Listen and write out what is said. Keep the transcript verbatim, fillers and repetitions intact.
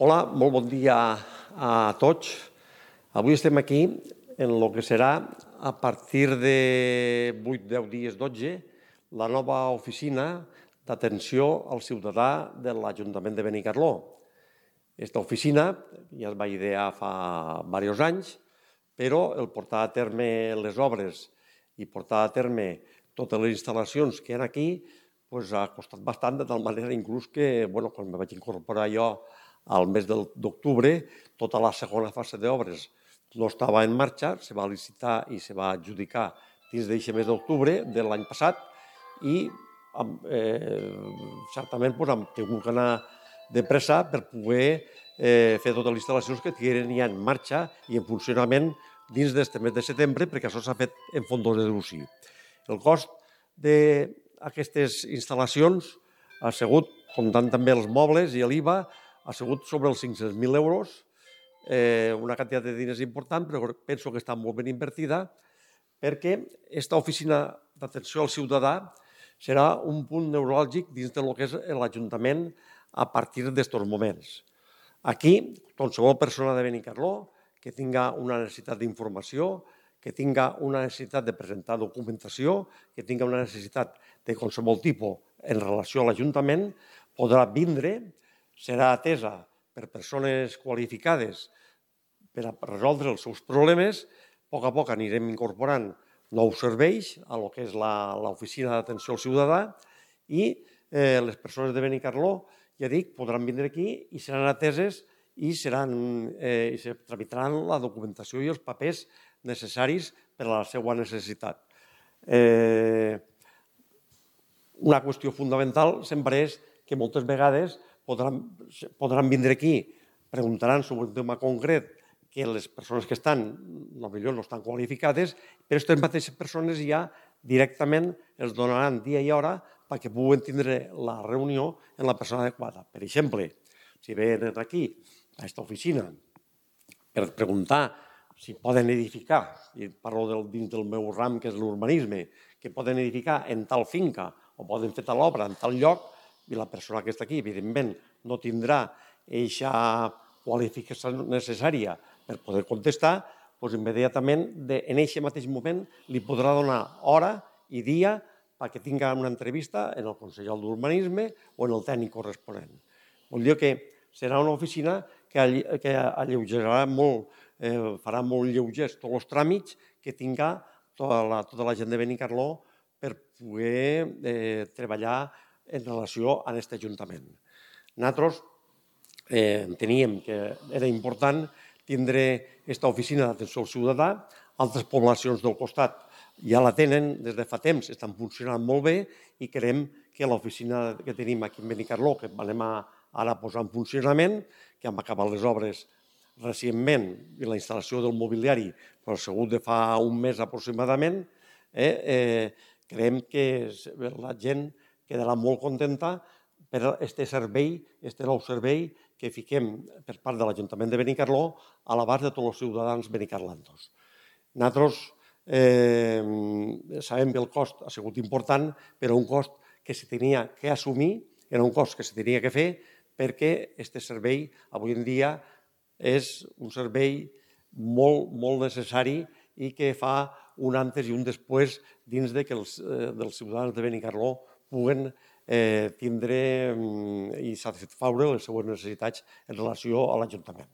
Hola, molt bon dia a tots. Avui estem aquí en el que serà, a partir de vuit, deu dies, dotze, la nova oficina d'atenció al ciutadà de l'Ajuntament de Benicarló. Aquesta oficina ja es va idear fa diversos anys, però el portar a terme les obres i portar a terme totes les instal·lacions que hi ha aquí doncs ha costat bastant, de tal manera inclús que bueno, quan me vaig incorporar jo al mes d'octubre, tota la segona fase d'obres no estava en marxa, se va licitar i se va adjudicar dins d'aquest mes d'octubre de l'any passat i eh, certament doncs, hem tingut que anar de pressa per poder eh, fer totes les instal·lacions que tingueren ja en marxa i en funcionament dins d'aquest mes de setembre, perquè això s'ha fet en fons de deducció. El cost d'aquestes instal·lacions ha sigut, comptant també els mobles i l'I V A, ha sigut sobre els cinc-cents mil euros, eh, una quantitat de diners important, però penso que està molt ben invertida, perquè aquesta oficina d'atenció al ciutadà serà un punt neuràlgic dins del que és l'Ajuntament a partir d'estos moments. Aquí, qualsevol persona de Benicarló que tinga una necessitat d'informació, que tinga una necessitat de presentar documentació, que tinga una necessitat de qualsevol tipus en relació a l'Ajuntament, podrà vindre, serà atesa per persones qualificades per a resoldre els seus problemes. A poc a poc anirem incorporant nous serveis a lo que és l'oficina d'atenció al ciutadà i les persones de Benicarló, ja dic, podran vindre aquí i seran ateses i se tramitaran la documentació i els papers necessaris per a la seva necessitat. Una qüestió fonamental sempre és que moltes vegades podran vindre aquí, preguntaran sobre un tema concret que les persones que estan potser no estan qualificades, però aquestes mateixes persones ja directament els donaran dia i hora perquè puguen tindre la reunió amb la persona adequada. Per exemple, si venen aquí, a aquesta oficina, per preguntar si poden edificar, i parlo dins del meu ram que és l'urbanisme, que poden edificar en tal finca o poden fer tal obra en tal lloc, i la persona que està aquí, evidentment, no tindrà aquesta qualificació necessària per poder contestar, doncs immediatament, en aquest mateix moment, li podrà donar hora i dia perquè tingui una entrevista en el consellero d'Urbanisme o en el tècnic corresponent. Vol dir que serà una oficina que alleugerarà molt, farà molt lleugers tots els tràmits que tinga tota la gent de Benicarló per poder treballar en relació amb aquest Ajuntament. Nosaltres enteníem que era important tindre aquesta oficina d'atenció al ciutadà. Altres poblacions del costat ja la tenen des de fa temps, estan funcionant molt bé i creiem que l'oficina que tenim aquí a Benicarló, que anem ara a posar en funcionament, que hem acabat les obres recentment i la instal·lació del mobiliari ha sigut de fa un mes aproximadament, creiem que la gent quedarà molt contenta per aquest servei, aquest nou servei que fiquem per part de l'Ajuntament de Benicarló a l'abast de tots els ciutadans benicarlantos. Nosaltres sabem que el cost ha sigut important, però un cost que se tenia que assumir, era un cost que se tenia que fer perquè aquest servei avui en dia és un servei molt, molt necessari i que fa un antes i un després dins que els ciutadans de Benicarló puguen tindre i satisfaure les seues necessitats en relació a l'Ajuntament.